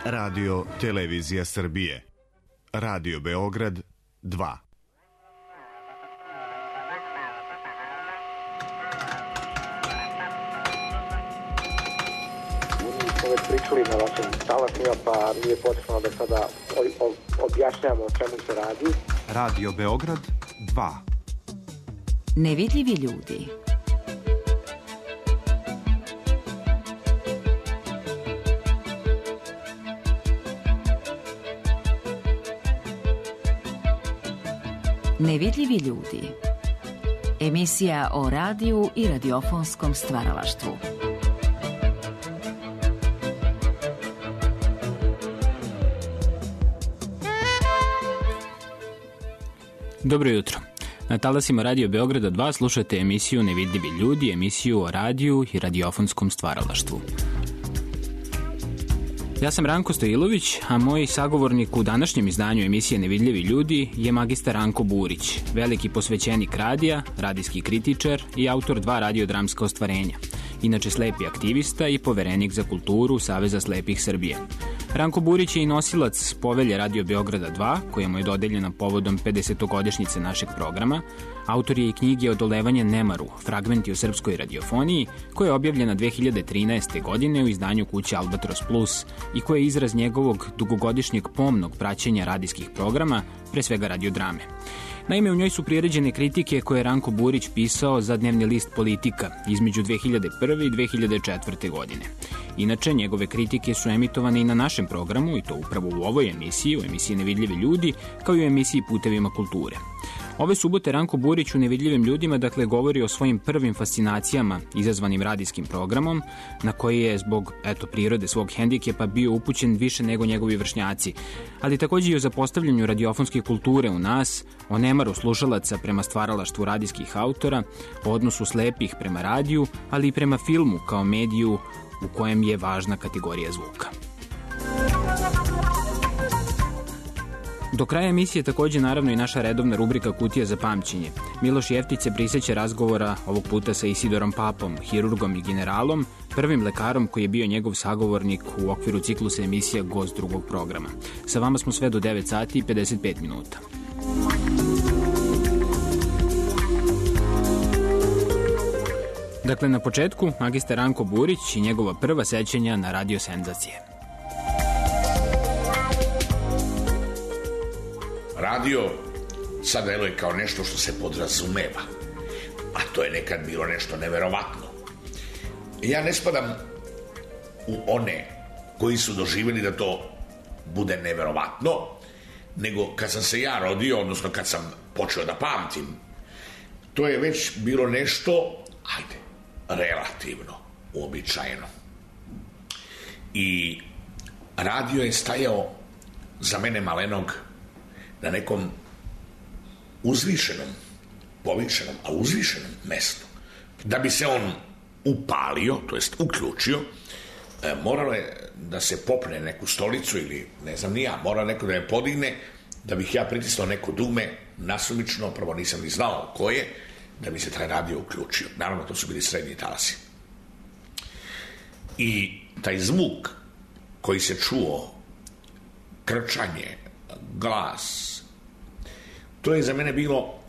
Radio Televizija Srbije. Radio Beograd 2. Smo već pričali na vašim talasima, pa nije potrebno da sada objašnjamo o čemu se radi. Radio Beograd 2. Nevidljivi ljudi. Nevidljivi ljudi. Emisija o radiju i radiofonskom stvaralaštvu. Dobro jutro. Na talasima Radio Beograda 2 slušate emisiju Nevidljivi ljudi, emisiju o radiju i radiofonskom stvaralaštvu. Ja sam Ranko Stojilović, a moj sagovornik u današnjem izdanju emisije Nevidljivi ljudi je magistar Ranko Burić, veliki posvećenik radija, radijski kritičar i autor 2 radiodramska ostvarenja. Inače slepi aktivista i poverenik za kulturu Saveza slepih Srbije. Ranko Burić je i nosilac povelje Radio Beograda 2, koja mu je dodeljena povodom 50-godišnjice našeg programa. Autor je i knjige Odolevanje nemaru, fragmenti o srpskoj radiofoniji, koja je objavljena 2013. godine u izdanju kuće Albatros Plus i koja je izraz njegovog dugogodišnjeg pomnog praćenja radijskih programa, pre svega radiodrame. Naime, u njoj su priređene kritike koje je Ranko Burić pisao za dnevni list Politika između 2001. i 2004. godine. Inače, njegove kritike su emitovane i na našem programu, i to upravo u ovoj emisiji, u emisiji Nevidljivi ljudi, kao i u emisiji Putevima kulture. Ove subote Ranko Burić u Nevidljivim ljudima govori o svojim prvim fascinacijama izazvanim radijskim programom, na koji je zbog prirode svog hendikepa bio upućen više nego njegovi vršnjaci, ali također i o zapostavljanju radiofonske kulture u nas, o nemaru slušalaca prema stvaralaštvu radijskih autora, o odnosu slepih prema radiju, ali i prema filmu kao mediju u kojem je važna kategorija zvuka. Do kraja emisije također naravno i naša redovna rubrika Kutija za pamćenje. Miloš Jeftić se prisjeća razgovora ovog puta sa Isidorom Papom, hirurgom i generalom, prvim lekarom koji je bio njegov sagovornik u okviru ciklusa emisija Gost drugog programa. Sa vama smo sve do 9 sati i 55 minuta. Dakle, na početku magistar Ranko Burić i njegova prva sećanja na radio senzacije. Radio sad deluje kao nešto što se podrazumeva, a to je nekad bilo nešto neverovatno. Ja ne spadam u one koji su doživjeli da to bude neverovatno, nego kad sam se ja rodio, odnosno kad sam počeo da pamtim, to je već bilo nešto, relativno uobičajeno. I radio je stajao za mene malenog na nekom uzvišenom, povišenom, a uzvišenom mestu. Da bi se on upalio, to jest uključio, moralo je da se popne neku stolicu ili ne znam ni ja, moralo neko da me podigne, da bih ja pritisnuo neko dugme, nasumično, prvo nisam ni znao ko je, da bi se taj radio uključio. Naravno, to su bili srednji talasi. I taj zvuk koji se čuo, krčanje, glas, to je za mene bilo,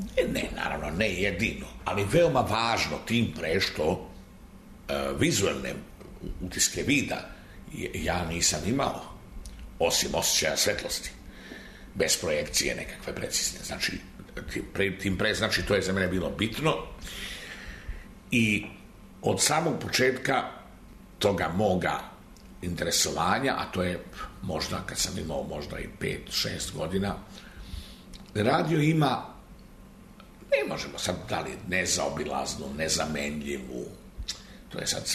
naravno ne jedino, ali veoma važno, tim pre što vizualne utiske vida ja nisam imao, osim osjećaja svetlosti, bez projekcije nekakve precizne. Znači, tim pre, znači, to je za mene bilo bitno. I od samog početka toga moga interesovanja, a to je možda kad sam imao možda i 5-6 godina, radio ima, ne možemo sad da li nezaobilaznu, nezamenljivu, to je sad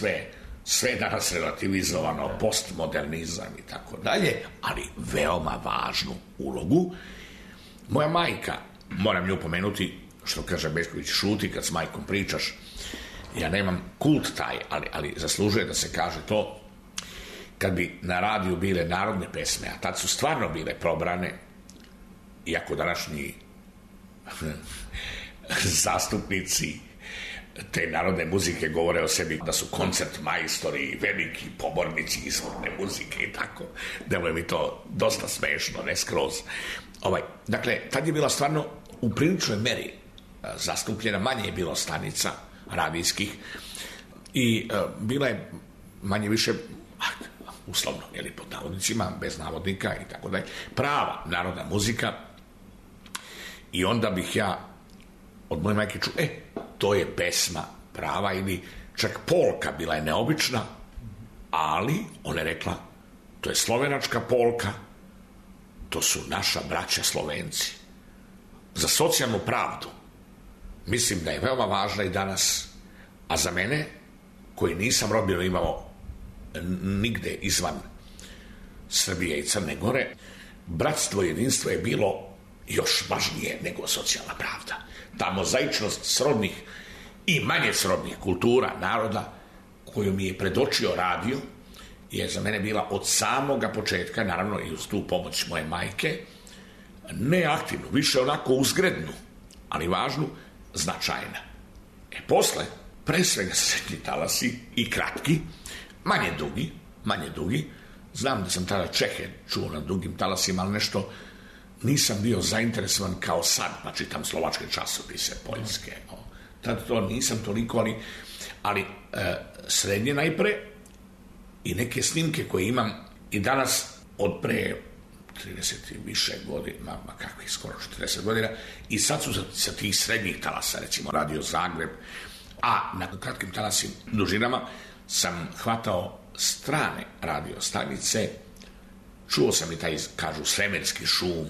sve danas relativizovano, postmodernizam i tako dalje, ali veoma važnu ulogu. Moja majka, moram nju pomenuti, što kaže Besković, šuti kad s majkom pričaš, ja nemam kult taj, ali zaslužuje da se kaže to. Kad bi na radiju bile narodne pesme, a tad su stvarno bile probrane, iako današnji zastupnici te narodne muzike govore o sebi da su koncert majstori, veliki pobornici izvorne muzike i tako. Deluje mi to dosta smešno, ne skroz. Dakle, tad je bila stvarno u priličnoj meri zastupljena, manje je bilo stanica radijskih i bila je manje više uslovno, pod navodnicima, bez navodnika i tako dalje, prava narodna muzika. I onda bih ja od moje majke čuo, to je pesma prava, ili čak polka, bila je neobična, ali ona je rekla, to je slovenačka polka, to su naša braća Slovenci. Za socijalnu pravdu mislim da je veoma važna i danas, a za mene, koji nisam rodbinu imao nigde izvan Srbije i Crne Gore, bratstvo i jedinstvo je bilo još važnije nego socijalna pravda. Ta mozaičnost srodnih i manje srodnih kultura naroda koju mi je predočio radio je za mene bila od samoga početka, naravno i uz tu pomoć moje majke, ne aktivnu, više onako uzgrednu, ali važnu, značajna. Posle, pre svega srednji talasi i kratki, manje dugi, znam da sam tada Čehe čuo na dugim talasima, ali nešto nisam bio zainteresovan kao sad, pa čitam slovačke časopise, poljske, tad to nisam toliko, ali srednje najpre i neke snimke koje imam i danas od pre 30 i više godina, kakvih skoro 40 godina, i sad su sa tih srednjih talasa, recimo Radio Zagreb, a na kratkim talasim dužinama sam hvatao strane radio stanice, čuo sam i taj, kažu, svemirski šum,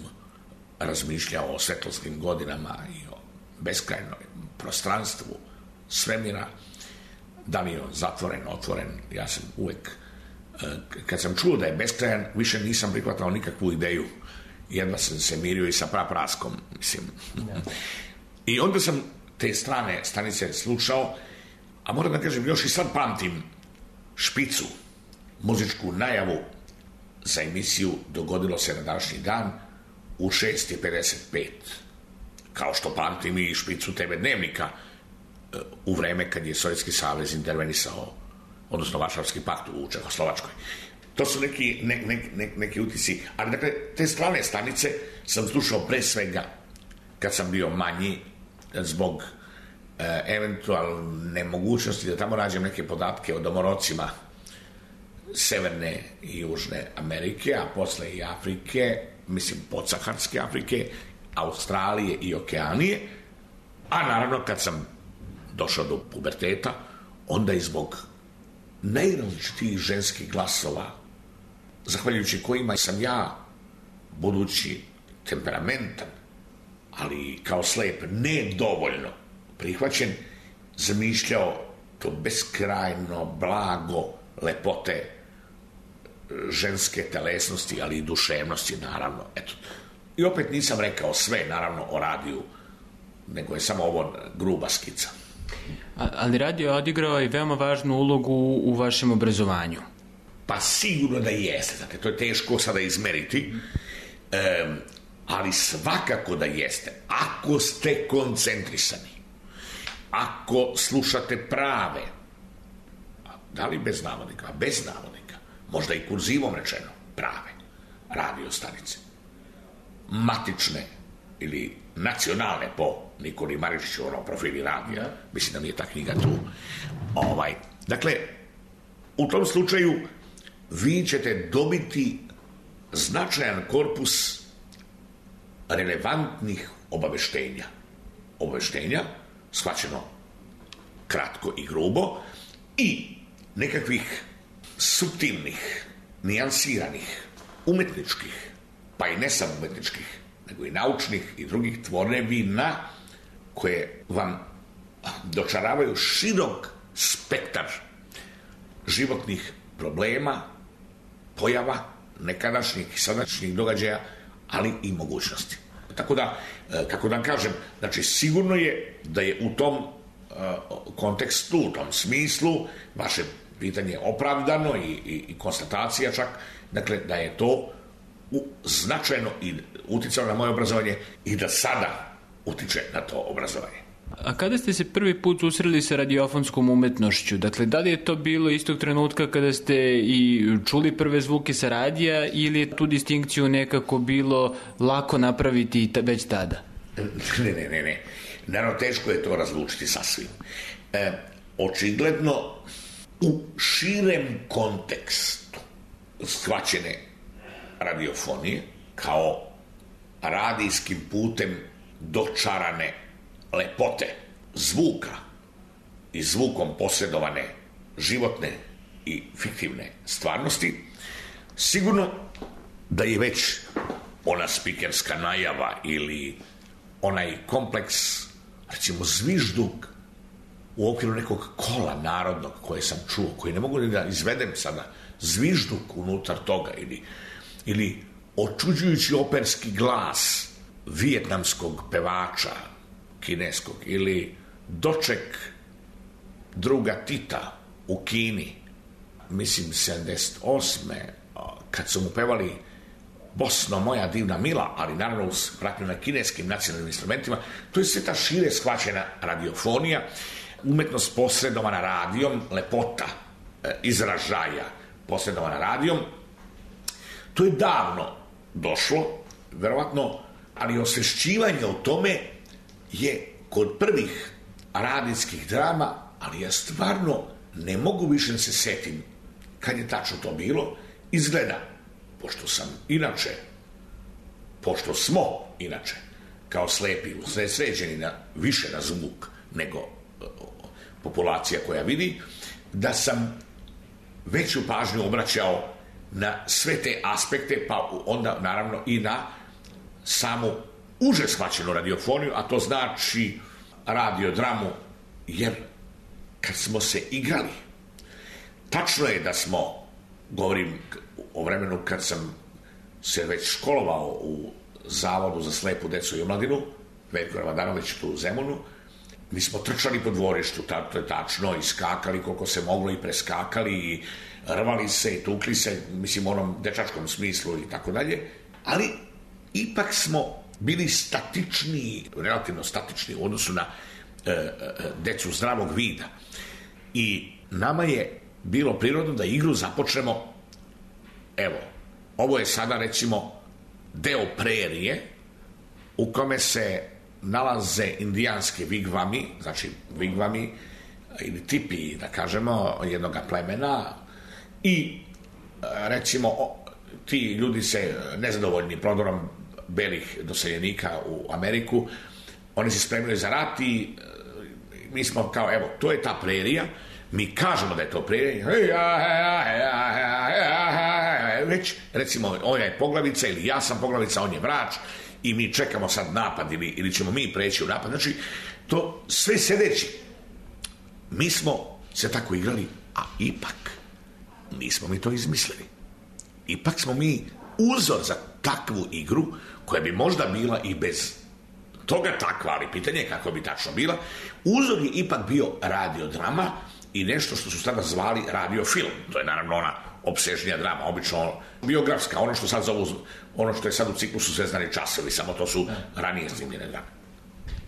razmišljao o svetlosnim godinama i o beskrajnom prostranstvu svemira, da li je on zatvoren, otvoren. Ja sam uvek, kad sam čuo da je beskrajan, više nisam prihvatao nikakvu ideju. Jedva sam se mirio i sa prapraskom, mislim. I onda sam te strane stanice slušao, a moram da kažem, još i sad pamtim špicu, muzičku najavu za emisiju Dogodilo se na današnji dan u 6:55. Kao što pamtim i špicu TV Dnevnika u vreme kad je Sovjetski savez intervenisao, odnosno Varšavski pakt u Čehoslovačkoj. To su neki utisci. Ali dakle, te strane stanice sam slušao pre svega kad sam bio manji, zbog eventualne mogućnosti da tamo nađem neke podatke o domorocima Severne i Južne Amerike, a posle i Afrike, mislim podsaharske Afrike, Australije i Okeanije, a naravno kad sam došao do puberteta, onda i zbog najrazličitijih ženskih glasova, zahvaljujući kojima sam ja, budući temperamentan, ali kao slep nedovoljno prihvaćen, zamišljao to beskrajno blago lepote ženske telesnosti, ali i duševnosti, naravno. Eto. I opet nisam rekao sve, naravno, o radiju, nego je samo ovo gruba skica. Ali radio je odigrao i veoma važnu ulogu u vašem obrazovanju. Pa sigurno da jeste, znate, to je teško sada izmeriti, ali svakako da jeste. Ako ste koncentrisani, ako slušate prave, da li bez navodnika, bez navodnika, možda i kurzivom rečeno, prave radio stanice, matične ili nacionalne po Nikoli Maričiću, profili radija, mislim da mi je ta knjiga tu. Dakle, u tom slučaju vi ćete dobiti značajan korpus relevantnih obaveštenja, shvaćeno kratko i grubo, i nekakvih suptilnih, nijansiranih, umetničkih, pa i ne samo umetničkih, nego i naučnih i drugih tvorevina koje vam dočaravaju širok spektar životnih problema, pojava, nekadašnjih i sadašnjih događaja, ali i mogućnosti. Tako da, kako da vam kažem, znači sigurno je da je u tom kontekstu, u tom smislu, vaše pitanje opravdano i konstatacija čak, dakle, da je to značajno i uticalo na moje obrazovanje i da sada utiče na to obrazovanje. A kada ste se prvi put susreli sa radiofonskom umetnošću? Dakle, da li je to bilo istog trenutka kada ste i čuli prve zvuke sa radija ili je tu distinkciju nekako bilo lako napraviti već tada? Ne. Naravno, teško je to razlučiti sasvim. Očigledno, u širem kontekstu shvaćene radiofonije kao radijskim putem dočarane lepote zvuka i zvukom posredovane životne i fiktivne stvarnosti, sigurno da je već ona spikerska najava ili onaj kompleks, recimo zvižduk u okviru nekog kola narodnog koje sam čuo, koji ne mogu da izvedem sada, zvižduk unutar toga ili očuđujući operski glas vijetnamskog pevača kineskog ili doček druga Tita u Kini, mislim 78. kad su mu pevali Bosno moja divna mila, ali naravno uz pratnju na kineskim nacionalnim instrumentima. To je sve ta šire shvaćena radiofonija, umetnost posredovana radijom, lepota izražaja posredovana radijom. To je davno došlo, verovatno, ali osvešćivanje o tome je kod prvih radijskih drama, ali ja stvarno ne mogu više da se setim kad je tačno to bilo. Izgleda, pošto smo inače kao slepi usredsređeni više na zvuk nego populacija koja vidi, da sam veću pažnju obraćao na sve te aspekte, pa onda naravno i na samu uže shvaćenu radiofoniju, a to znači radiodramu, jer kad smo se igrali, tačno je da smo, govorim o vremenu kad sam se već školovao u Zavodu za slepu decu i omladinu, Veljko Ravadanović tu u Zemunu, mi smo trčali po dvorištu, to je tačno, i skakali koliko se moglo i preskakali i rvali se i tukli se, mislim u onom dečačkom smislu i tako dalje, ali ipak smo bili statični, relativno statični u odnosu na decu zdravog vida. I nama je bilo prirodno da igru započnemo, evo, ovo je sada recimo deo prerije u kome se nalaze indijanski vigvami, znači vigvami ili tipi, da kažemo, jednoga plemena i recimo ti ljudi se nezadovoljni prodorom belih doseljenika u Ameriku, oni se spremili za rat i mi smo kao, evo, to je ta prerija, mi kažemo da je to prerija, već, recimo, on je poglavica ili ja sam poglavica, on je vrač i mi čekamo sad napad ili ćemo mi preći u napad. Znači, to sve sedeći. Mi smo se tako igrali, a ipak nismo mi to izmislili. Ipak smo mi uzor za takvu igru, koja bi možda bila i bez toga takva, ali pitanje je kako bi tačno bila. Uzor je ipak bio radiodrama i nešto što su tada zvali radiofilm. To je naravno ona opsežnija drama, obično biografska, ono što sad zovu, ono što je sad u ciklusu Zvezdani časovi, samo to su ranije snimljene drame.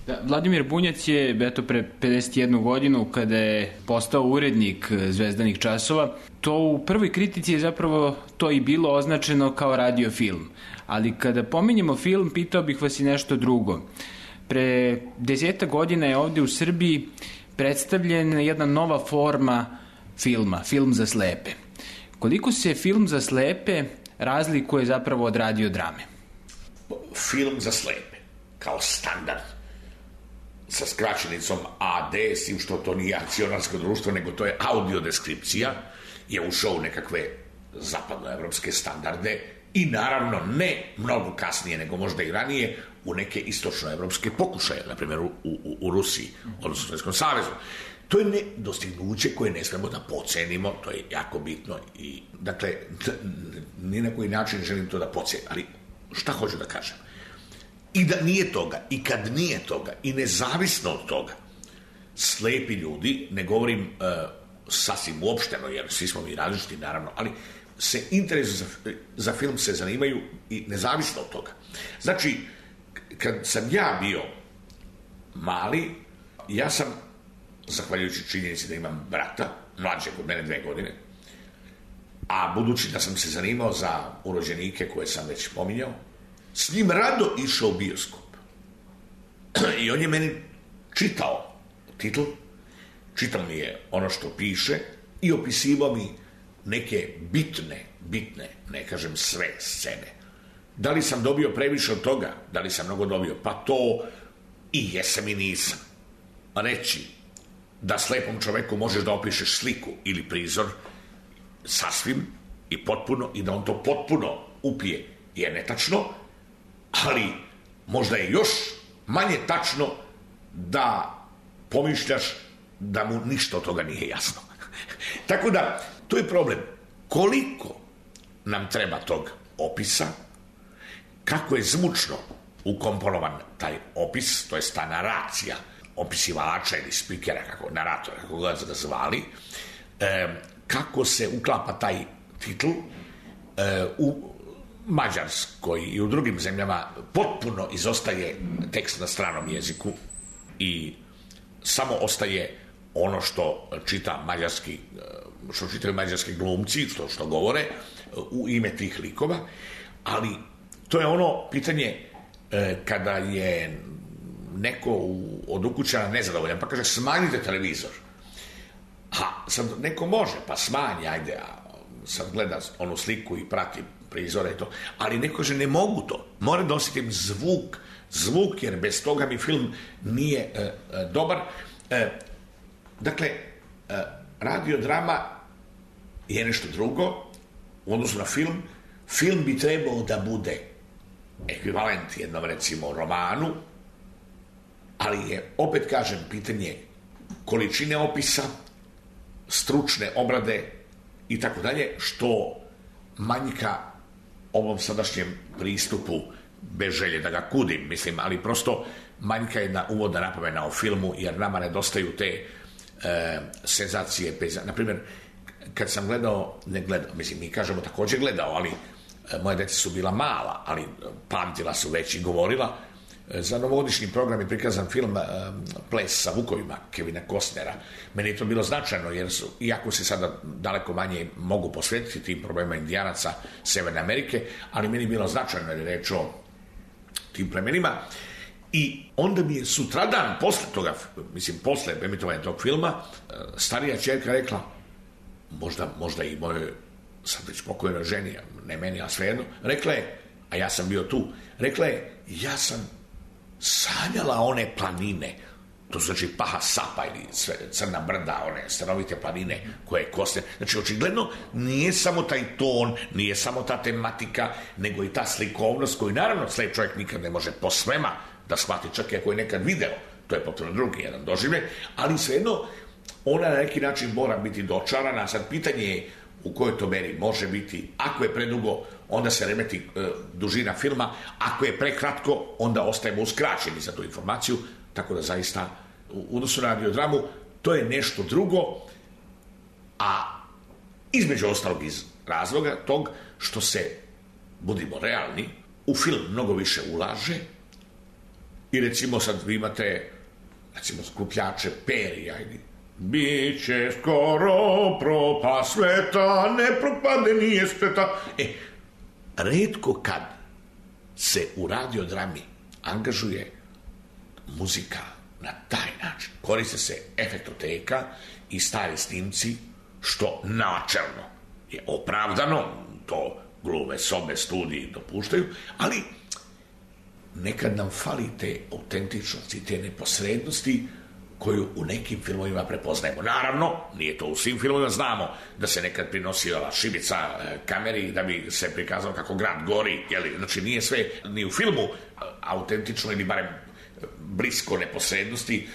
Da, Vladimir Bunjac je, eto, pre 51 godinu, kada je postao urednik Zvezdanih časova, to u prvoj kritici je zapravo to i bilo označeno kao radiofilm. Ali kada pominjemo film, pitao bih vas i nešto drugo. Pre 10 godina je ovde u Srbiji predstavljena jedna nova forma filma, film za slepe. Koliko se film za slepe razlikuje zapravo od radiodrame? Film za slepe, kao standard, sa skraćenicom AD, s tim što to nije akcionarsko društvo, nego to je audiodeskripcija, je ušao u nekakve zapadnoevropske standarde i naravno ne mnogo kasnije, nego možda i ranije, u neke istočnoevropske pokušaje, na primjer u Rusiji, odnosno u Sovjetskom savezu. To je dostignuće koje ne smemo da pocenimo, to je jako bitno i, dakle, ni na koji način želim to da pocenim, ali šta hoću da kažem? I da nije toga, i kad nije toga, i nezavisno od toga, slepi ljudi, ne govorim sasvim uopšteno, jer svi smo mi različiti, naravno, ali se interesu za film se zanimaju i nezavisno od toga. Znači, kad sam ja bio mali, Ja sam, zahvaljujući činjenici da imam brata, mlađeg od mene 2 godine, a budući da sam se zanimao za urođenike koje sam već pominjao, s njim rado išao u bioskop. I on je meni čitao titl, čitao mi je ono što piše i opisivao mi neke bitne, ne kažem sve scene. Da li sam dobio previše od toga? Da li sam mnogo dobio? Pa to i jesam i nisam. Reći da slepom čoveku možeš da opišeš sliku ili prizor sasvim i potpuno i da on to potpuno upije je netačno, ali možda je još manje tačno da pomišljaš da mu ništa od toga nije jasno. Tako da, to je problem. Koliko nam treba tog opisa, kako je zvučno ukomponovan taj opis, to je ta naracija opisivača ili spikera, naratora, kako ga zvali, kako se uklapa taj titl u Mađarskoj i u drugim zemljama potpuno izostaje tekst na stranom jeziku i samo ostaje ono što čitaju mađarski glumci, što govore u ime tih likova, ali to je ono pitanje kada je neko od ukućana nezadovoljan, pa kaže smanjite televizor. A sad neko može, pa smanji, ajde, a sad gleda onu sliku i prati prizore i to, ali neko kaže ne mogu to, mora da osjetim zvuk, jer bez toga mi film nije dobar. Dakle, radiodrama je nešto drugo u odnosu na film. Film bi trebao da bude ekvivalent jednom, recimo, romanu, ali je, opet kažem, pitanje količine opisa, stručne obrade i tako dalje, što manjka ovom sadašnjem pristupu, bez želje da ga kudim, mislim, ali prosto manjka jedna uvodna napomena o filmu, jer nama nedostaju te senzacije. Naprimjer, kad sam mislim, mi kažemo također gledao, ali moje djeca su bila mala, ali pamtila su već i govorila. Za novogodišnji program je prikazan film Ples sa vukovima Kevina Costnera. Meni je to bilo značajno, jer iako se sada daleko manje mogu posvetiti tim problemima indijanaca Severne Amerike, ali meni je bilo značajno jer je reč o tim plemenima. I onda mi je sutradan, posle emitovanja tog filma, starija ćerka rekla, možda i mojoj sad već pokojnoj ženi, ne meni, a svejedno, rekla je, a ja sam bio tu, rekla je, ja sam sanjala one planine, to znači Paha Sapa ili Crna brda, one stanovite planine koje koste. Znači, očigledno, nije samo taj ton, nije samo ta tematika, nego i ta slikovnost koju, naravno, slep čovjek nikad ne može po svema da shvati, čak i ako je nekad video, to je potpuno drugi jedan doživljaj, ali svejedno, ona na neki način mora biti dočarana. Sad pitanje je u kojoj to meri može biti. Ako je predugo, onda se remeti dužina filma, ako je prekratko, onda ostajemo uskraćeni za tu informaciju, tako da zaista u odnosu na radiodramu to je nešto drugo, a između ostalog iz razloga tog što se, budimo realni, u film mnogo više ulaže i recimo sad vi imate skupljače perija ili biće skoro propast sveta, ne propade nije sveta. Retko kad se u radiodrami angažuje muzika na taj način. Koriste se efektoteka i stari snimci, što načelno je opravdano, to glume, sobe, studiji dopuštaju, ali nekad nam fali te autentičnosti, te neposrednosti koju u nekim filmovima prepoznajemo. Naravno, nije to u svim filmovima, znamo da se nekad prinosila šibica kameri da bi se prikazalo kako grad gori, znači nije sve ni u filmu autentično ili barem blisko neposrednosti,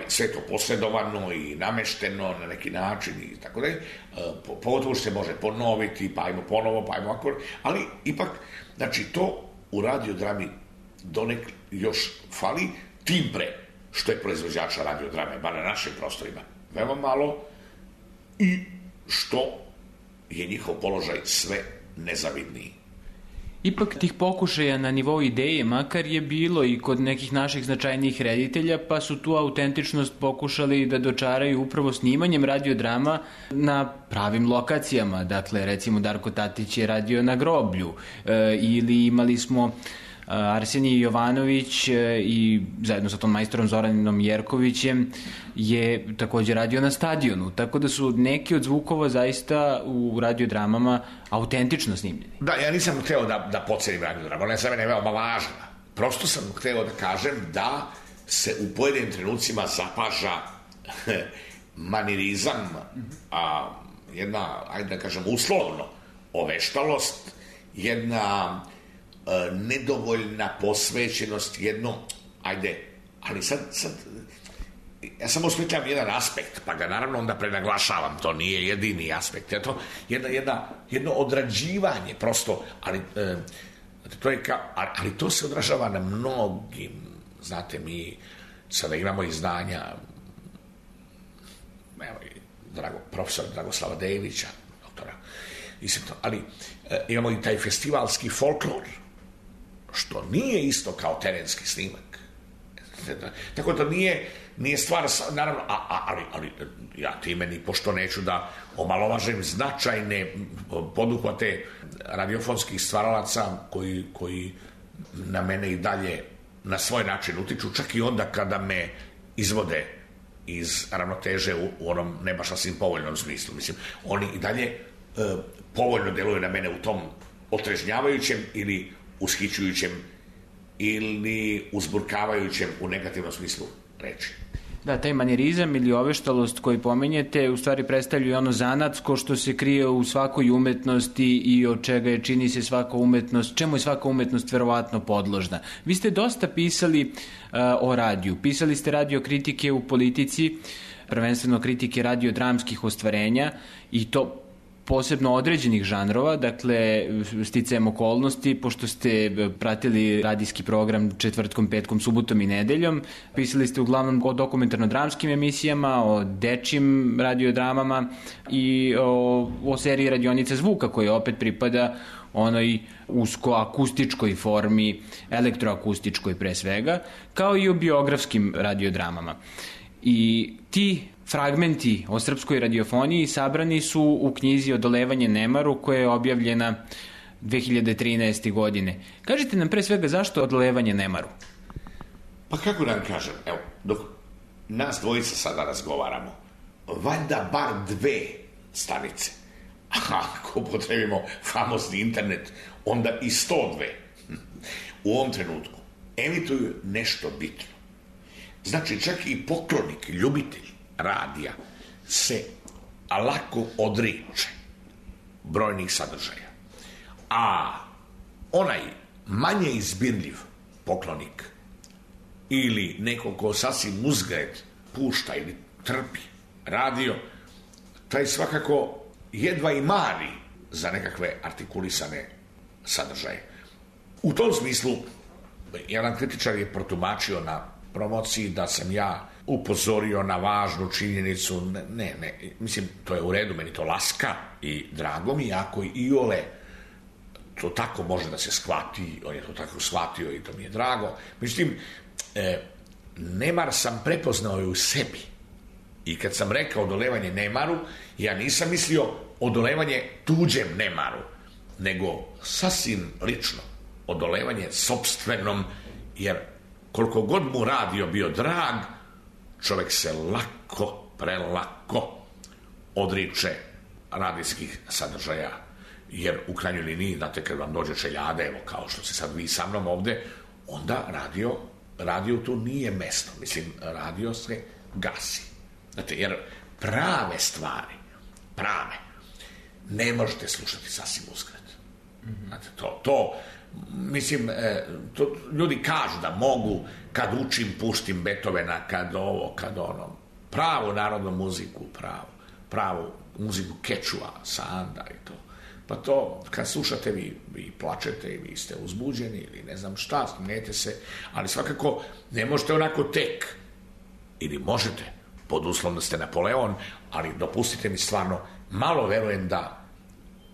sve to posredovano i namešteno na neki način i tako dalje. Pogotovo se može ponoviti, pa ajmo ponovo, pa ajmo ovako, ali ipak, znači to u radiodrami donekle još fali, tim pre što je proizvođača radiodrame, bar na našim prostorima, veoma malo i što je njihov položaj sve nezavidniji. Ipak tih pokušaja na nivou ideje makar je bilo i kod nekih naših značajnijih reditelja, pa su tu autentičnost pokušali da dočaraju upravo snimanjem radiodrama na pravim lokacijama. Dakle, recimo Darko Tatić je radio na groblju, ili imali smo Arsenij Jovanović i zajedno sa tom majstorom Zoraninom Jerkovićem je također radio na stadionu, tako da su neki od zvukova zaista u radiodramama autentično snimljeni. Da, ja nisam hteo da pocenim radiodramu, ona je za mene veoma važna. Prosto sam hteo da kažem da se u pojedinim trenucima zapaža manirizam, jedna, ajde da kažem, uslovno oveštalost, jedna nedovoljna posvećenost, jedno, ajde, ali sad ja samo osmišljam jedan aspekt, pa ga naravno onda prenaglašavam, to nije jedini aspekt, je to jedno odrađivanje prosto, ali to je ali to se odražava na mnogim, znate, mi sada imamo izdanja, evo i profesora Dragoslava Devića, doktora, ali imamo i taj festivalski folklor, što nije isto kao terenski snimak. Tako da nije stvar, naravno, ali ja time ni pošto neću da omalovažem značajne poduhvate radiofonskih stvaralaca koji na mene i dalje na svoj način utiču, čak i onda kada me izvode iz ravnoteže u onom ne baš sasvim povoljnom smislu. Mislim, oni i dalje povoljno deluju na mene u tom otrežnjavajućem ili ushićujućem ili uzburkavajućem u negativnom smislu reči. Da, taj manirizam ili oveštalost koji pomenjete u stvari predstavljaju ono zanatsko što se krije u svakoj umetnosti i od čega je, čini se, svaka umetnost, čemu je svaka umetnost verovatno podložna. Vi ste dosta pisali o radiju. Pisali ste radio kritike u Politici, prvenstveno kritike radiodramskih ostvarenja i to posebno određenih žanrova, dakle, sticajem okolnosti, pošto ste pratili radijski program četvrtkom, petkom, subotom i nedeljom. Pisali ste uglavnom o dokumentarno-dramskim emisijama, o dečjim radiodramama i o seriji Radionica zvuka, koja opet pripada onoj usko-akustičkoj formi, elektroakustičkoj pre svega, kao i o biografskim radiodramama. I ti fragmenti o srpskoj radiofoniji sabrani su u knjizi Odolevanje nemaru, koja je objavljena 2013. godine. Kažite nam pre svega zašto Odolevanje nemaru? Pa kako da vam kažem, evo, dok nas dvojica sada razgovaramo, valjda bar 2 stanice, a ako potrebimo famozni internet, onda i 102 u ovom trenutku emituju nešto bitno. Znači, čak i poklonik, ljubitelj radija se lako odriče brojnih sadržaja. A onaj manje izbirljiv poklonik ili neko ko sasvim uzgred pušta ili trpi radio, taj svakako jedva i mari za nekakve artikulisane sadržaje. U tom smislu, jedan kritičar je protumačio na promociji da sam ja upozorio na važnu činjenicu. Ne, mislim, to je u redu, meni to laska i drago mi, ako i Iole to tako može da se shvati, on je to tako shvatio i to mi je drago. Međutim, nemar sam prepoznao i u sebi. I kad sam rekao odolevanje nemaru, ja nisam mislio odolevanje tuđem nemaru, nego sasvim lično odolevanje sopstvenom, jer koliko god mu radio bio drag, čovjek se prelako odriče radijskih sadržaja, jer u krajnjoj liniji, znate, kad vam dođe čeljade, evo kao što se sad vi sa mnom ovde, onda radio tu nije mesto. Mislim, radio se gasi. Znate, jer prave stvari, ne možete slušati sasvim uzgred. Znate, mislim, to ljudi kažu da mogu, kad učim, puštim Beethovena, kad ovo, kad ono. Pravu narodnu muziku, pravu muziku Kečua, Sanda i to. Pa to, kad slušate, vi plačete i vi ste uzbuđeni ili ne znam šta, smijete se, ali svakako ne možete onako tek. Ili možete, pod uslovom da ste Napoleon, ali dopustite mi stvarno, malo verujem da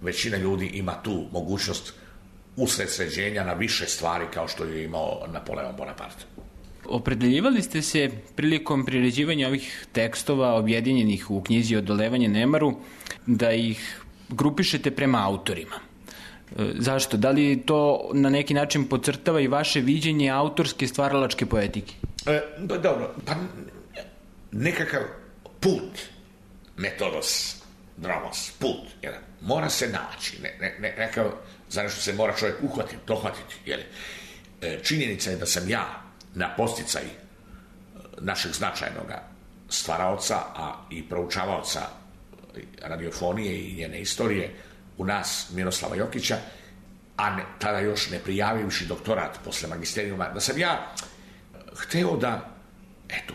većina ljudi ima tu mogućnost usredsređenja na više stvari kao što je imao Napoleon Bonaparte. Opredeljivali ste se prilikom priređivanja ovih tekstova objedinjenih u knjizi Odolevanje nemaru da ih grupišete prema autorima. Zašto? Da li to na neki način podcrtava i vaše viđenje autorske stvaralačke poetike? Dobro, pa nekakav put, metodos, dromos, put, jedan, mora se naći, nekav, za nešto se mora čovjek dohvatiti, jer činjenica je da sam ja na posticaj našeg značajnog stvaraoca, a i proučavaoca radiofonije i njene istorije u nas, Miroslava Jokića, a tada još ne prijavivši doktorat posle magisterijuma, da sam ja hteo da, eto,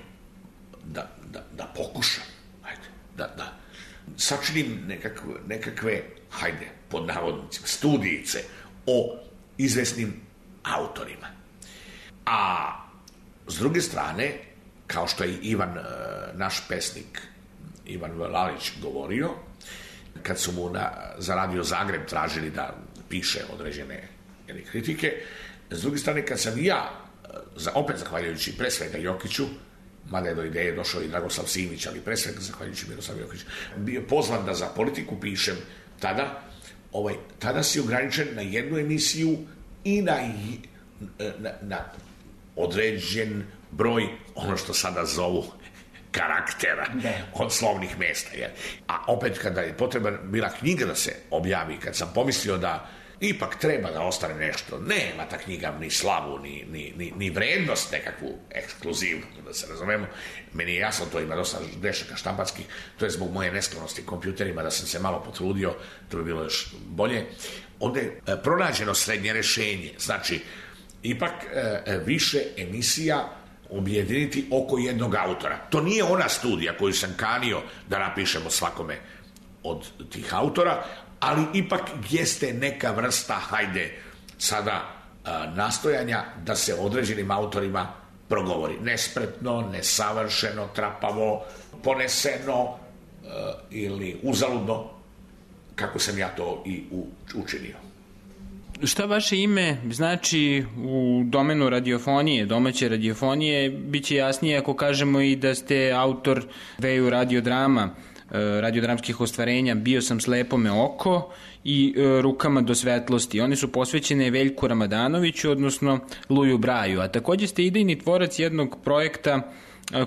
da pokušam, da sačinim nekakve, hajde, pod navodnicima, studijice o izvesnim autorima. A s druge strane, kao što je Ivan, naš pesnik, Ivan Lalić govorio, kad su mu za Radio Zagreb tražili da piše određene kritike, s druge strane, kad sam ja, opet zahvaljujući pre svega Jokiću, mada je do ideje došao i Dragoslav Simić, ali pre svega zahvaljujući Miroslav Jokić, bio pozvan da za Politiku pišem tada si ograničen na jednu emisiju i na određen broj, ono što sada zovu karaktera od slovnih mesta. A opet kada je potrebna bila knjiga da se objavi, kad sam pomislio da ipak treba da ostane nešto, nema ta knjiga ni slavu, ni vrednost nekakvu ekskluzivnu, da se razumemo. Meni je jasno, to ima dosta grešaka štamparskih, to je zbog moje nesklonosti kompjuterima, da sam se malo potrudio, to bi bilo još bolje. Onda je pronađeno srednje rešenje, znači ipak više emisija objediniti oko jednog autora. To nije ona studija koju sam kanio da napišemo svakome od tih autora, ali ipak jeste neka vrsta, hajde, sada nastojanja da se određenim autorima progovori. Nespretno, nesavršeno, trapavo, poneseno ili uzaludno, kako sam ja to i učinio. Šta vaše ime znači u domenu radiofonije, domaće radiofonije? Biće jasnije ako kažemo i da ste autor dveju radiodrama, radiodramskih ostvarenja Bio sam slepome oko i Rukama do svetlosti. One su posvećene Veljku Ramadanoviću, odnosno Luju Braju, a takođe ste idejni tvorac jednog projekta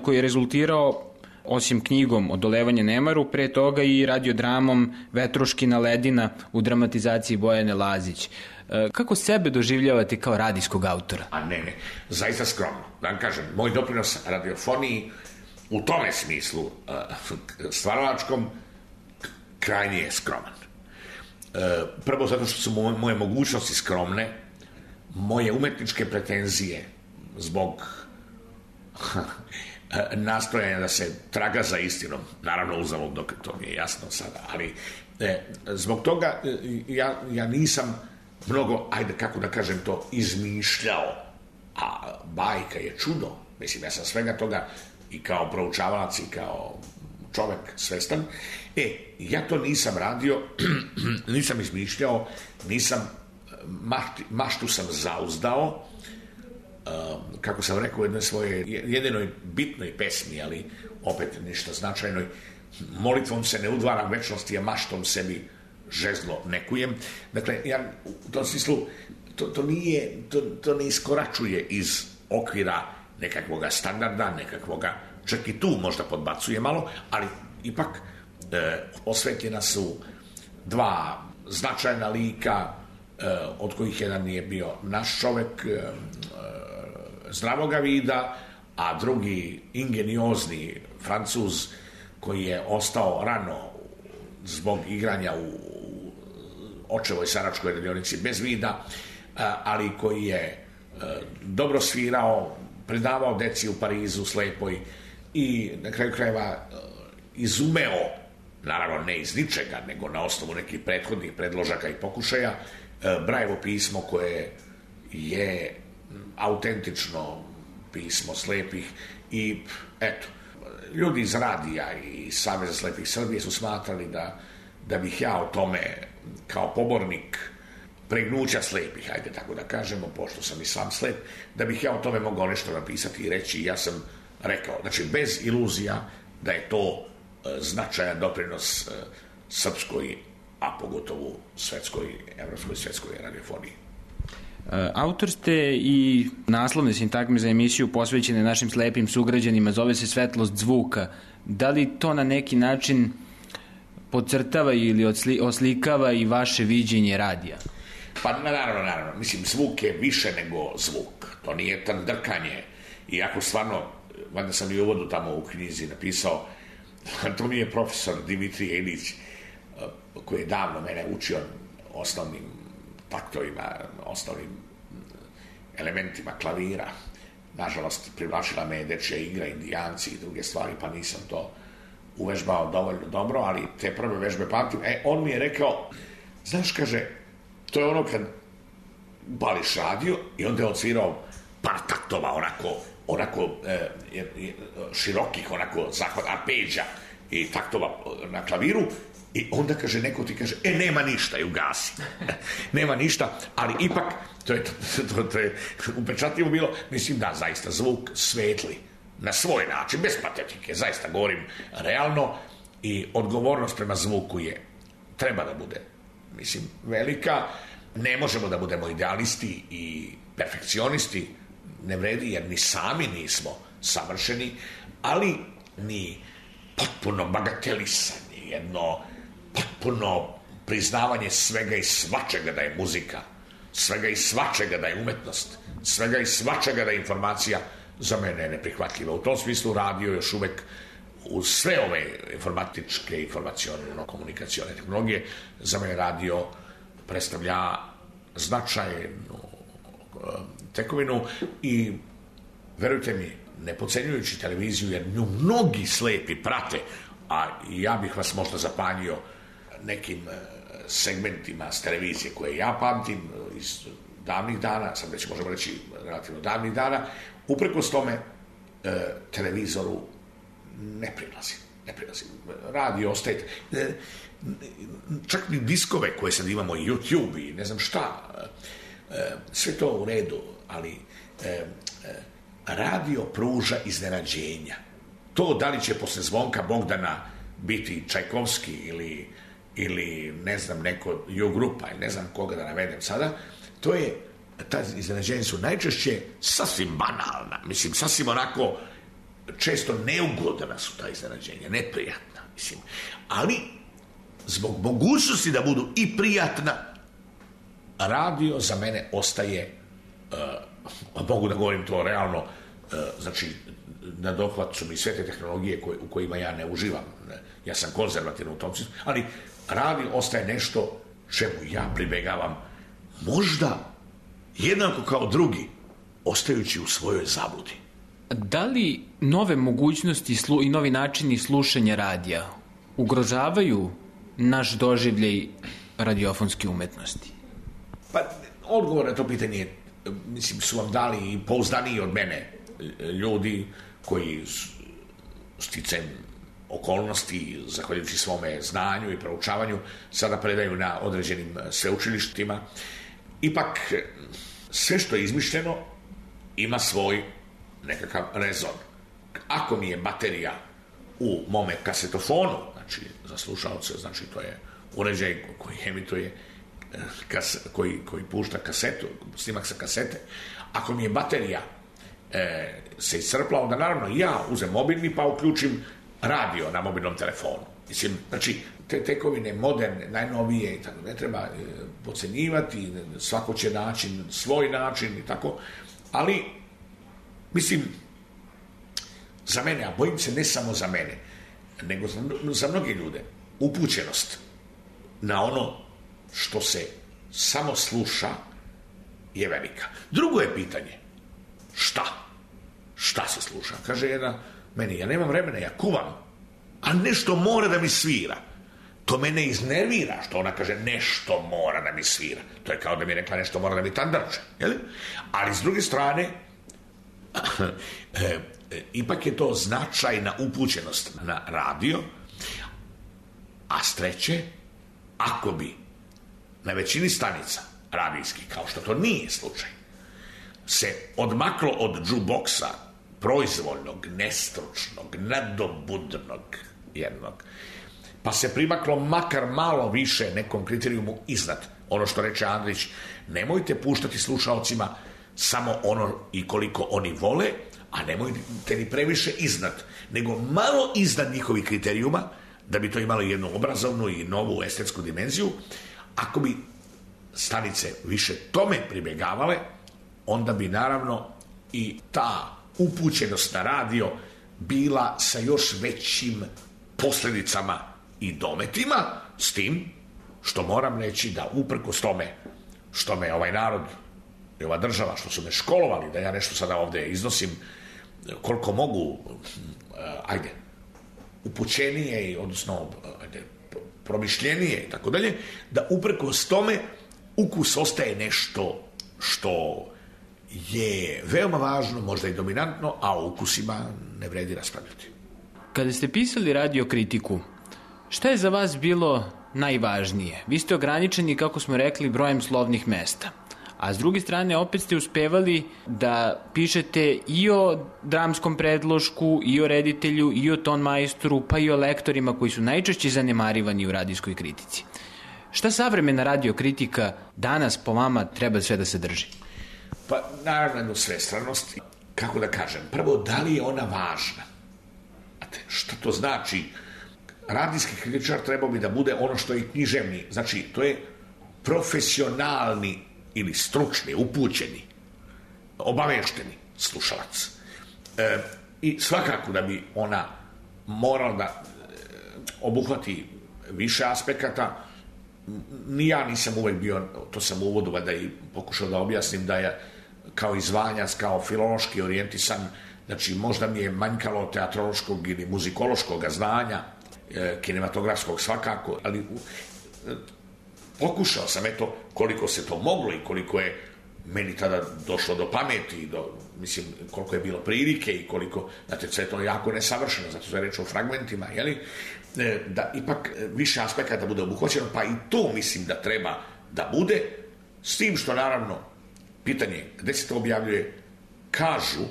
koji je rezultirao, osim knjigom Odolevanje nemaru, pre toga i radiodramom Vetruškina ledina u dramatizaciji Bojane Lazić. Kako sebe doživljavate kao radijskog autora? A ne, zaista skromno. Da vam kažem, moj doprinos radiofoniji u tome smislu stvaralačkom krajnje je skroman. Prvo zato što su moje mogućnosti skromne, moje umetničke pretenzije zbog nastojanja da se traga za istinom, naravno uzalud dok to mi je jasno sada, ali zbog toga ja nisam mnogo, ajde kako da kažem to, izmišljao, a bajka je čudo. Mislim, ja sam svega toga i kao proučavalac i kao čovek svestan. Ja to nisam radio, nisam izmišljao, maštu sam zauzdao, kako sam rekao u jednoj svojoj jedinoj bitnoj pesmi, ali opet ništa značajnoj, molitvom se ne udvaram večnosti, a maštom sebi žezlo nekujem. Dakle, ja u tom smislu to ne iskoračuje iz okvira nekakvoga standarda, nekakvoga, čak i tu možda podbacuje malo, ali ipak osvetljena su dva značajna lika, od kojih jedan je bio naš čovek zdravoga vida, a drugi ingeniozni Francuz koji je ostao rano zbog igranja u očevoj saračkoj radionici bez vida, ali koji je dobro svirao, predavao deci u Parizu slepoj i na kraju krajeva izumeo, naravno ne iz ničega, nego na osnovu nekih prethodnih predložaka i pokušaja, Brajevo pismo koje je autentično pismo slepih i eto, ljudi iz radija i Saveza slepih Srbije su smatrali da bih ja o tome kao pobornik pregnuća slepih, hajde tako da kažemo, pošto sam i sam slep, da bih ja o tome mogao nešto napisati i reći. Ja sam rekao, znači bez iluzija da je to značajan doprinos srpskoj, a pogotovo svetskoj, evropskoj svetskoj radiofoniji. Autor ste i naslovne sintagme za emisiju posvećene našim slepim sugrađanima, zove se Svetlost zvuka. Da li to na neki način podcrtava ili oslikava i vaše viđenje radija? Pa naravno, mislim, zvuk je više nego zvuk, to nije tandrkanje, iako stvarno, valjda sam i u uvodu tamo u knjizi napisao, to mi je profesor Dimitrije Ilić, koji je davno mene učio osnovnim taktovima, osnovnim elementima klavira. Nažalost, privlačila me dečja igra, Indijanci i druge stvari, pa nisam to uvežbao dovoljno dobro, ali te prve vežbe pamtim. On mi je rekao, znaš, kaže, to je ono kad bališ radio i onda je odsvirao par taktova, onako širokih, onako zahvat, arpeđa i taktova na klaviru, i onda kaže, neko ti kaže, nema ništa, i ugasi. Nema ništa, ali ipak, to je upečatljivo bilo, mislim da, zaista, zvuk svetli, na svoj način, bez patetike, zaista govorim realno, i odgovornost prema zvuku treba da bude, mislim, velika. Ne možemo da budemo idealisti i perfekcionisti, ne vredi, jer ni sami nismo savršeni, ali ni potpuno bagatelisanje, jedno potpuno priznavanje svega i svačega da je muzika, svega i svačega da je umetnost, svega i svačega da je informacija, za mene je neprihvatljiva. U tom smislu radio još uvek, uz sve ove informatičke, informacione-komunikacione tehnologije, za mene radio predstavlja značajnu tekovinu i, verujte mi, ne podcenjujući televiziju, jer nju mnogi slepi prate, a ja bih vas možda zapanjio nekim segmentima s televizije koje ja pamtim iz davnih dana, sad već možemo reći relativno davnih dana, uprkos tome televizoru ne prilazi. Radio ostaje, čak ni diskove koje sad imamo, YouTube i ne znam šta, sve to u redu, ali radio pruža iznenađenja. To da li će posle zvonka Bogdana biti Čajkovski ili ne znam, neko Jugrupa, ili ne znam koga da navedem sada, ta iznenađenja su najčešće sasvim banalna, mislim, sasvim onako često neugodna su ta iznenađenja, neprijatna, mislim, ali zbog mogućnosti da budu i prijatna, radio za mene ostaje, mogu da govorim to realno, znači na dohvat su mi sve te tehnologije u kojima ja ne uživam, ja sam konzervativan u tom smislu, ali radio ostaje nešto čemu ja pribegavam, možda jednako kao drugi, ostajući u svojoj zabludi. Da li nove mogućnosti i novi načini slušanja radija ugrožavaju naš doživljaj radiofonske umetnosti? Pa, odgovor na to pitanje, mislim, su vam dali i pouzdaniji od mene ljudi koji sticajem okolnosti, zahvaljujući svome znanju i proučavanju, sada predaju na određenim sveučilištima. Ipak, sve što je izmišljeno ima svoj nekakav rezon. Ako mi je baterija u mome kasetofonu, znači za slušalce, znači to je uređaj koji emituje, koji pušta kasetu, snimak sa kasete, ako mi je baterija se iscrpla, onda naravno ja uzem mobilni pa uključim radio na mobilnom telefonu. Mislim, znači, te tekovine moderne, najnovije i tako, ne treba podcenjivati, svako će naći svoj način i tako, ali mislim, za mene, a bojim se ne samo za mene, nego za mnoge ljude, upućenost na ono što se samo sluša je velika. Drugo je pitanje, šta se sluša? Kaže jedna meni, ja nemam vremena, ja kuvam, a nešto mora da mi svira. To mene iznervira, što ona kaže nešto mora da mi svira. To je kao da mi je rekla nešto mora da mi tandrče. Ali s druge strane, ipak je to značajna upućenost na radio, a s treće, ako bi na većini stanica radijski, kao što to nije slučaj, se odmaklo od džuboksa, proizvoljnog, nestručnog, nadobudnog jednog, pa se primaklo makar malo više nekom kriterijumu iznad. Ono što reče Andrić, nemojte puštati slušaocima samo ono i koliko oni vole, a nemojte ni previše iznad, nego malo iznad njihovih kriterijuma, da bi to imalo jednu obrazovnu i novu estetsku dimenziju. Ako bi stanice više tome pribjegavale, onda bi naravno i ta upućenost na radio bila sa još većim posljedicama i dometima, s tim što moram reći da uprkos tome što me ovaj narod i ova država, što su me školovali, da ja nešto sada ovdje iznosim koliko mogu, upućenije, odnosno promišljenije i tako dalje, da uprkos tome ukus ostaje nešto što je veoma važno, možda i dominantno, a o ukusima ne vredi raspravljati. Kada ste pisali radiokritiku, šta je za vas bilo najvažnije? Vi ste ograničeni, kako smo rekli, brojem slovnih mesta. A s druge strane, opet ste uspevali da pišete i o dramskom predlošku, i o reditelju, i o ton majstoru, pa i o lektorima koji su najčešće zanemarivani u radijskoj kritici. Šta savremena radiokritika danas po vama treba sve da se drži? Pa naravno jednu svestranost. Kako da kažem, prvo, da li je ona važna? Šta to znači? Radijski kritičar trebao bi da bude ono što je književni. Znači, to je profesionalni ili stručni, upućeni, obavešteni slušalac. I svakako da bi ona morala da obuhvati više aspekata. Ni ja nisam uvek bio, to sam u uvodu da i pokušao da objasnim, da je kao izvanjac, kao filološki orijentisan, znači možda mi je manjkalo teatrološkog ili muzikološkog znanja, kinematografskog svakako, ali pokušao sam, eto, koliko se to moglo i koliko je meni tada došlo do pameti, mislim, koliko je bilo prilike i koliko, znate, sve to je jako nesavršeno, zato se reče o fragmentima, jeli, da ipak više aspekata bude obuhvaćeno, pa i to mislim da treba da bude, s tim što naravno, pitanje gde se to objavljuje, kažu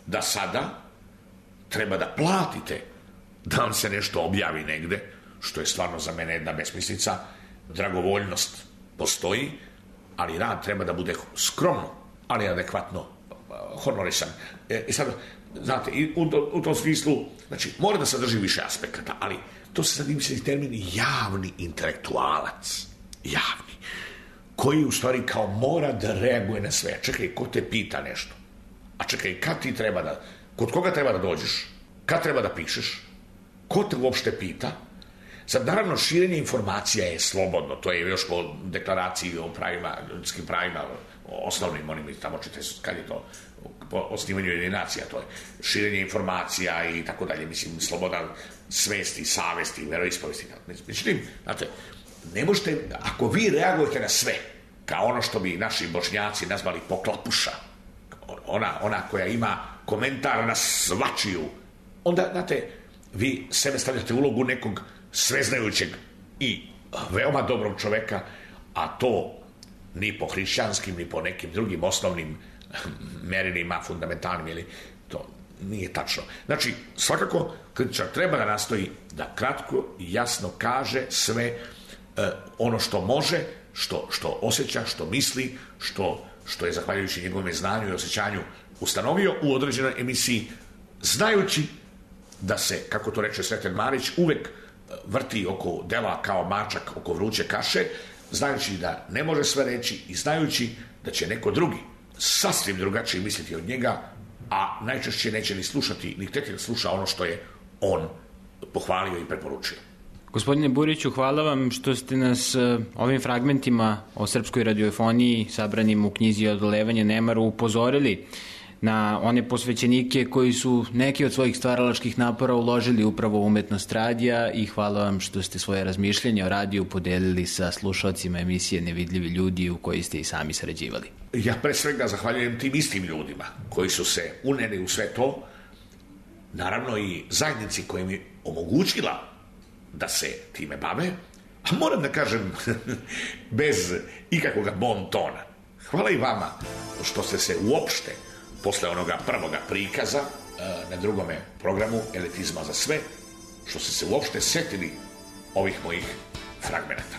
da sada treba da platite da vam se nešto objavi negde, što je stvarno za mene jedna besmislica. Dragovoljnost postoji, ali rad treba da bude skromno, ali adekvatno honorisan. I sad, znate, u tom smislu, znači, mora da sadrži više aspekata, ali to se sad misli termin javni intelektualac. Javni. Koji u stvari kao mora da reaguje na sve. Čekaj, ko te pita nešto? A čekaj, kad ti treba da, kod koga treba da dođeš? Kad treba da pišeš? Ko te uopšte pita? Sad, naravno, širenje informacija je slobodno, to je još po deklaraciji o pravima, ljudskim pravima, osnovnim, onim tamo čite, kad je to, po osnivanju jedinacija, to je širenje informacija i tako dalje, mislim, sloboda svesti, savesti, veroispovesti. Međutim, znate, ne možete, ako vi reagujete na sve, kao ono što bi naši Bošnjaci nazvali poklapuša, ona koja ima komentar na svačiju, onda, znate, vi sebe stavljate u ulogu nekog sveznajućeg i veoma dobrog čoveka, a to ni po hrišćanskim, ni po nekim drugim osnovnim merilima, fundamentalnim, ili to nije tačno. Znači, svakako, kritičar treba da nastoji da kratko i jasno kaže sve ono što može, što osjeća, što misli, što je zahvaljujući njegovom znanju i osjećanju ustanovio u određenoj emisiji, znajući da se, kako to reče Sreten Marić, uvek vrti oko dela kao mačak oko vruće kaše, znajući da ne može sve reći i znajući da će neko drugi sasvim drugačije misliti od njega, a najčešće neće ni slušati, ni htjeti da sluša ono što je on pohvalio i preporučio. Gospodine Buriću, hvala vam što ste nas ovim fragmentima o srpskoj radiofoniji sabranim u knjizi Odolevanje nemaru upozorili na one posvećenike koji su neki od svojih stvaralačkih napora uložili upravo u umetnost radija, i hvala vam što ste svoje razmišljenje o radiju podelili sa slušalcima emisije Nevidljivi ljudi u kojoj ste i sami sarađivali. Ja pre svega zahvaljujem tim istim ljudima koji su se uneli u sve to, naravno i zajednici koja mi omogućila da se time bave, A moram da kažem, bez ikakvog bon tona, hvala i vama što ste se uopšte, posle onoga prvoga prikaza na drugome programu Elitizma za sve, što ste se uopšte setili ovih mojih fragmenata.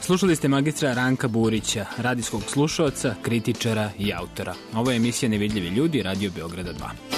Slušali ste magistra Ranka Burića, radijskog slušaoca, kritičara i autora. Ovo je emisija Nevidljivi ljudi, Radio Beograda 2.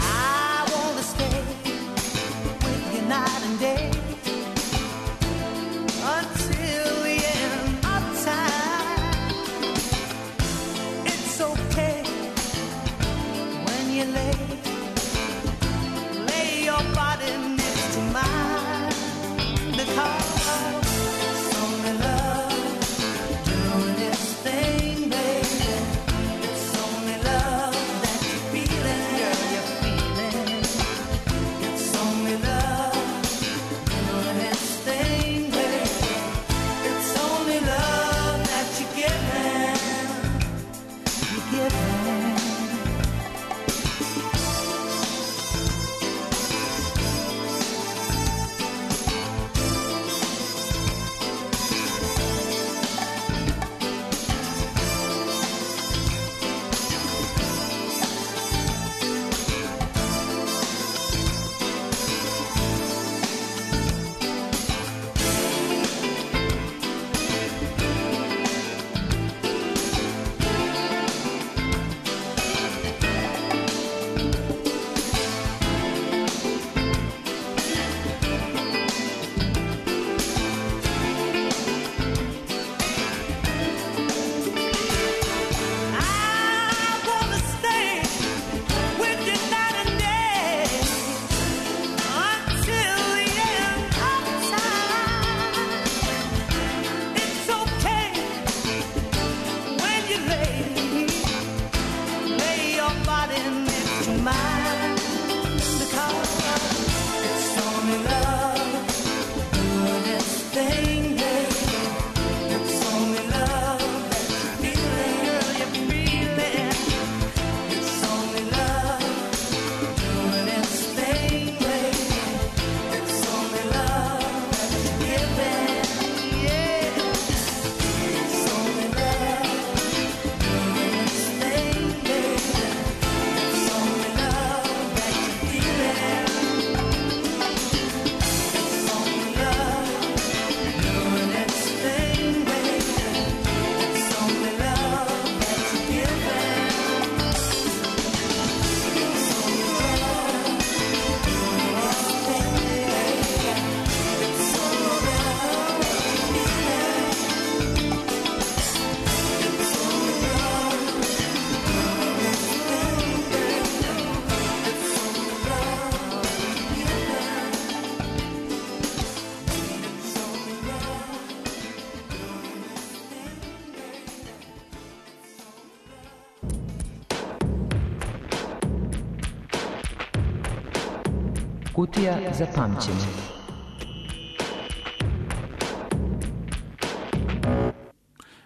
I wanna stay with Kutija za pamćenje.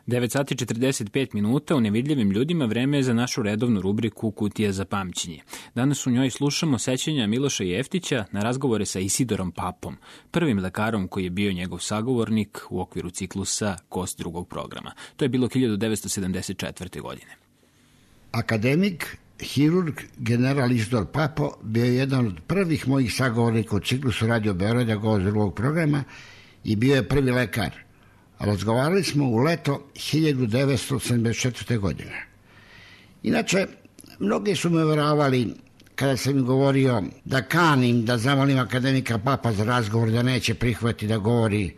Devet sati 45 minuta u Nevidljivim ljudima vreme je za našu redovnu rubriku Kutija za pamćenje. Danas u njoj slušamo sećanja Miloša Jeftića na razgovore sa Isidorom Papom, prvim lekarom koji je bio njegov sagovornik u okviru ciklusa Kost drugog programa. To je bilo 1974. godine. Akademik, hirurg, general Isidor Papo bio je jedan od prvih mojih sagovornika u ciklusu Radio Beograda Kost drugog programa i bio je prvi lekar. Razgovarali smo u leto 1974. godine. Inače, mnogi su me uvjeravali kada sam im govorio da kanim da zamolim akademika Papa za razgovor, da neće prihvatiti da govori.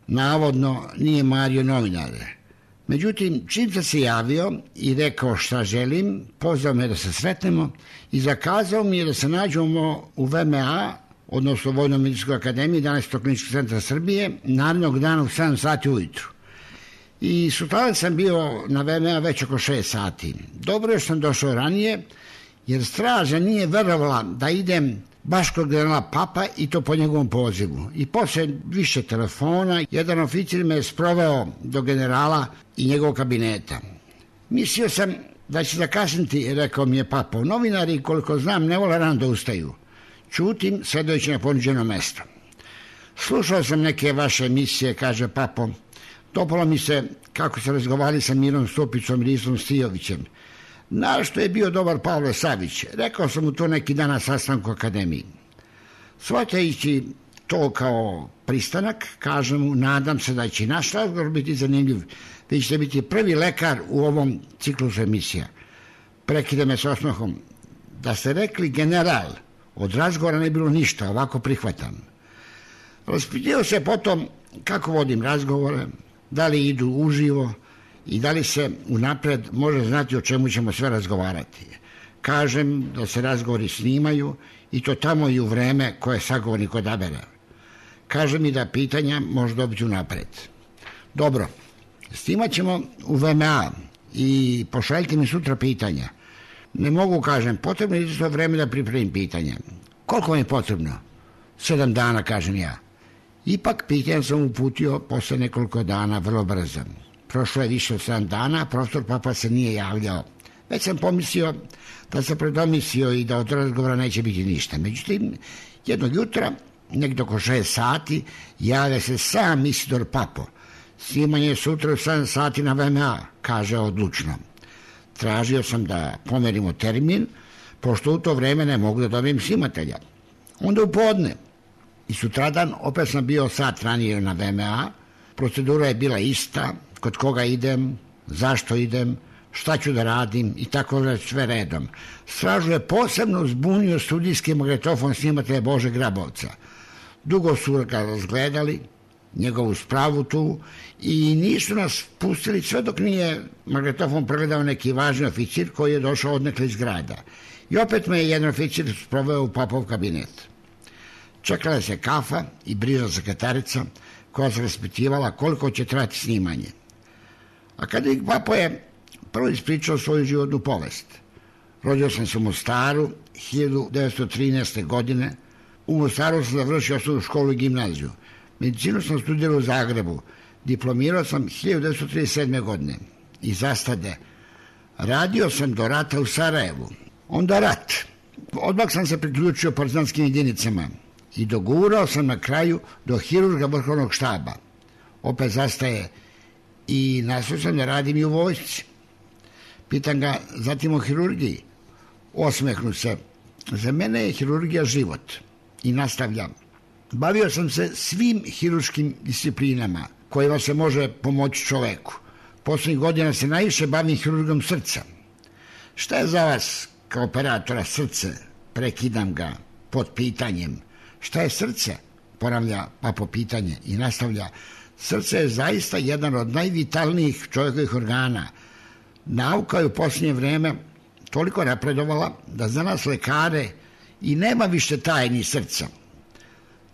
Navodno nije mario novinare. Međutim, čim sam se javio i rekao šta želim, pozvao me da se sretnemo i zakazao mi je da se nađemo u VMA, odnosno Vojno-medicinskoj akademiji 11. kliničkog centra Srbije, narednog dana u 7 sati ujutru. I sutradan sam bio na VMA već oko 6 sati. Dobro je što sam došao ranije, jer straža nije verovala da idem baš kod generala Papa i to po njegovom pozivu. I posle više telefona, jedan oficir me je sproveo do generala i njegovog kabineta. Mislio sam da će zakasniti, rekao mi je Papa. Novinari, koliko znam, ne vole rano da ustaju. Čutim, sedajući na ponuđeno mesto. Slušao sam neke vaše emisije, kaže Papo. Dopalo mi se kako se razgovarali sa Mirom Stupicom i Risom Stijovićem. Našto je bio dobar Pavle Savić. Rekao sam mu to neki dan na sastanku akademiji. Shvatajući to kao pristanak, kažem mu, nadam se da će naš razgovor biti zanimljiv. Vi ćete biti prvi lekar u ovom ciklusu emisija. Prekide me s osmehom. Da ste rekli general, od razgovora ne bilo ništa, ovako prihvatam. Raspitio se potom kako vodim razgovore, da li idu uživo i da li se unapred može znati o čemu ćemo sve razgovarati. Kažem da se razgovori snimaju i to tamo i u vreme koje sagovornik odabere. Kaže mi da pitanja može dobiti unapred. Dobro, snimat ćemo u VMA i pošaljite mi sutra pitanja. Ne mogu, kažem, potrebno je isto vreme da pripremim pitanja. Koliko mi je potrebno? 7 dana, kažem ja. Ipak pitanja sam uputio posle nekoliko dana, vrlo brzo. Prošlo je više od 7 dana, profesor Papa se nije javljao. Već sam pomislio da se predomislio i da od razgovora neće biti ništa. Međutim, jednog jutra, nekdo oko 6 sati, javlja se sam Isidor Papo. Snimanje je sutra u 7 sati na VMA, kaže odlučno. Tražio sam da pomerimo termin, pošto u to vreme ne mogu da dobijem snimatelja. Onda u podne. I sutradan opet sam bio sat ranije na VMA. Procedura je bila ista, kod koga idem, zašto idem, šta ću da radim i tako da sve redom. Stražu je posebno zbunio studijski magnetofon snimatelja Bože Grabovca. Dugo su ga razgledali, njegovu spravu tu, i nisu nas pustili sve dok nije magnetofon pregledao neki važni oficir koji je došao odnekle iz grada. I opet me je jedan oficir sproveo u Papov kabinet. Čekala se kafa i brižna sekretarica koja se raspitivala koliko će trajati snimanje. Akademik Papo je prvo ispričao svoju životnu povest. Rodio sam se u Mostaru 1913. godine. U Mostaru sam završio osnovnu školu i gimnaziju. Medicinu sam studirao u Zagrebu. Diplomirao sam 1937. godine. I zastade. Radio sam do rata u Sarajevu. Onda rat. Odmah sam se priključio partizanskim jedinicama. I dogurao sam na kraju do hirurga vrhovnog štaba. Opet zastaje. I nastao sam da radim i u vojsci. Pitam ga zatim o hirurgiji. Osmehnu se. Za mene je hirurgija život. I nastavljam. Bavio sam se svim hirurškim disciplinama kojima se može pomoći čoveku. Poslednjih godina se najviše bavim hirurgom srca. Šta je za vas kao operatora srce? Prekidam ga pod pitanjem. Šta je srce? Ponavlja Papo pitanje i nastavlja. Srce je zaista jedan od najvitalnijih čovjekovih organa. Nauka je u posljednje vreme toliko napredovala da za nas lekare i nema više tajni srca.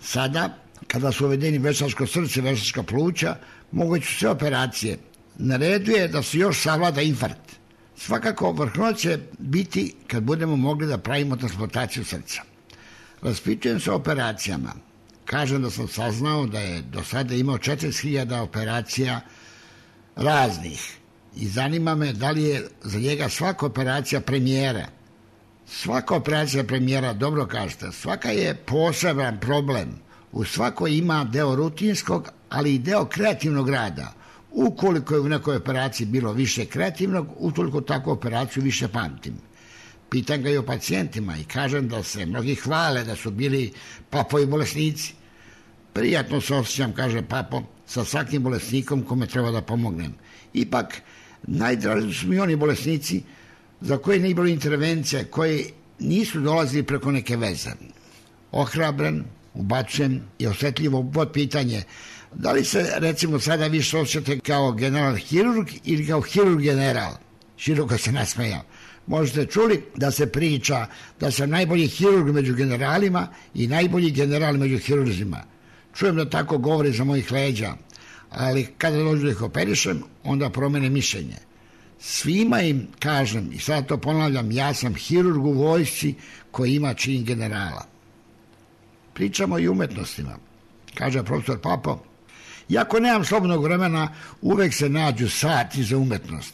Sada, kada su uvedeni veštačko srce, veštačka pluća, moguće su sve operacije. Na redu je da se još savlada infarkt. Svakako, vrhunac će biti kad budemo mogli da pravimo transplantaciju srca. Raspitujem se o operacijama. Kažem da sam saznao da je do sada imao 40.000 operacija raznih. I zanima me da li je za njega svaka operacija premijera. Svaka operacija premijera, dobro kažete, svaka je poseban problem. U svakoj ima deo rutinskog, ali i deo kreativnog rada. Ukoliko je u nekoj operaciji bilo više kreativnog, utoliko takvu operaciju više pamtim. Pitam ga i o pacijentima i kažem da se mnogi hvale da su bili papovi bolesnici. Prijatno se osjećam, kaže papo, sa svakim bolesnikom kome treba da pomognem. Ipak, najdraži su mi oni bolesnici za koje nije bilo intervencija, koji nisu dolazili preko neke veze. Ohrabren, ubacujem i osjetljivo pod pitanje da li se recimo sada više osjećate kao general hirurg ili kao hirurg general. Široko se nasmejao. Možete čuli da se priča da sam najbolji hirurg među generalima i najbolji general među hirurzima. Čujem da tako govori za mojih leđa, ali kada dođu da ih operišem, onda promene mišljenje. Svima im kažem, i sad to ponavljam, ja sam hirurg u vojsci koji ima čin generala. Pričamo i umetnostima. Kaže profesor Papo, iako nemam slobodnog vremena, uvek se nađu sati za umetnost.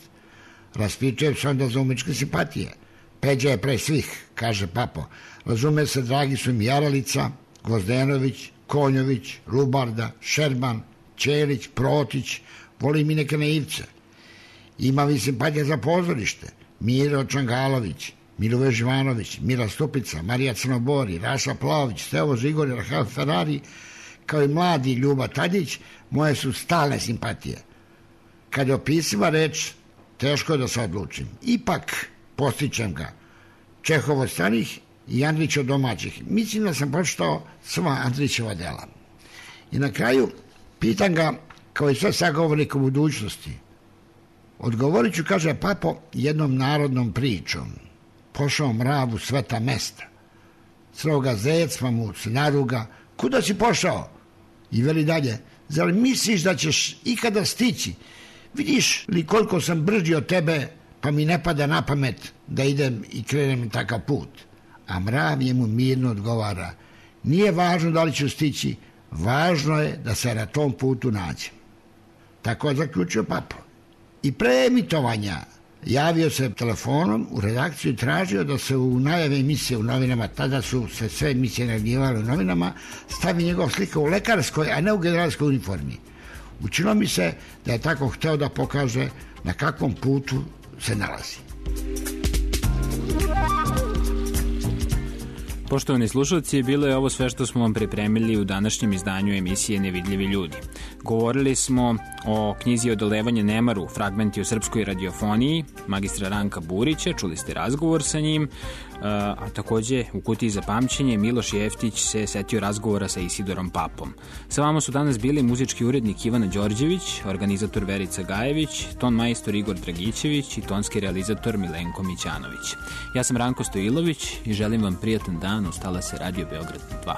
Raspitujem se onda za umetničke simpatije. Peđa je pre svih, kaže Papo. Razume se, dragi su mi Jaralica, Gvozdenović, Konjović, Lubarda, Šerman, Ćelić, Protić, volim i neke naivce. Imam i simpatije za pozorište. Miro Čangalović, Milove Živanović, Mira Stupica, Marija Crnobori, Raša Plaović, Stevo Žigor, Rahel Ferrari, kao i mladi Ljuba Tadić, moje su stalne simpatije. Kad je opisiva reč, teško je da se odlučim. Ipak postičem ga. Čehov od stranih i Andrić od domaćih. Mislim da sam pročitao sva Andrićeva dela. I na kraju pitam ga, kao i sve sagovornika u budućnosti, odgovorit ću, kaže Papo, jednom narodnom pričom. Pošao mrav u sveta mesta. Sreo ga zec, pa mu se naruga. Kuda si pošao? I veli dalje, zar misliš da ćeš ikada stići? Vidiš li koliko sam brži od tebe, pa mi ne pada na pamet da idem i krenem takav put. A mrav je mu mirno odgovara, nije važno da li ću stići, važno je da se na tom putu nađem. Tako je zaključio Papo. I pre emitovanja javio se telefonom u redakciju i tražio da se u najave emisije u novinama, tada su se sve emisije najavljivale u novinama, stavi njegov slika u lekarskoj, a ne u generalskoj uniformi. Učinilo mi se da je tako hteo da pokaže na kakvom putu se nalazi. Poštovani slušalci, bilo je ovo sve što smo vam pripremili u današnjem izdanju emisije Nevidljivi ljudi. Govorili smo o knjizi Odolevanje nemaru, fragmenti o srpskoj radiofoniji, magistra Ranka Burića, čuli ste razgovor sa njim, a takođe u kutiji za pamćenje Miloš Jeftić se setio razgovora sa Isidorom Papom. Sa vama su danas bili muzički urednik Ivana Đorđević, organizator Verica Gajević, ton majstor Igor Dragićević i tonski realizator Milenko Mićanović. Ja sam Ranko Stojilović i želim vam prijatan dan, ostala se Radio Beograd 2.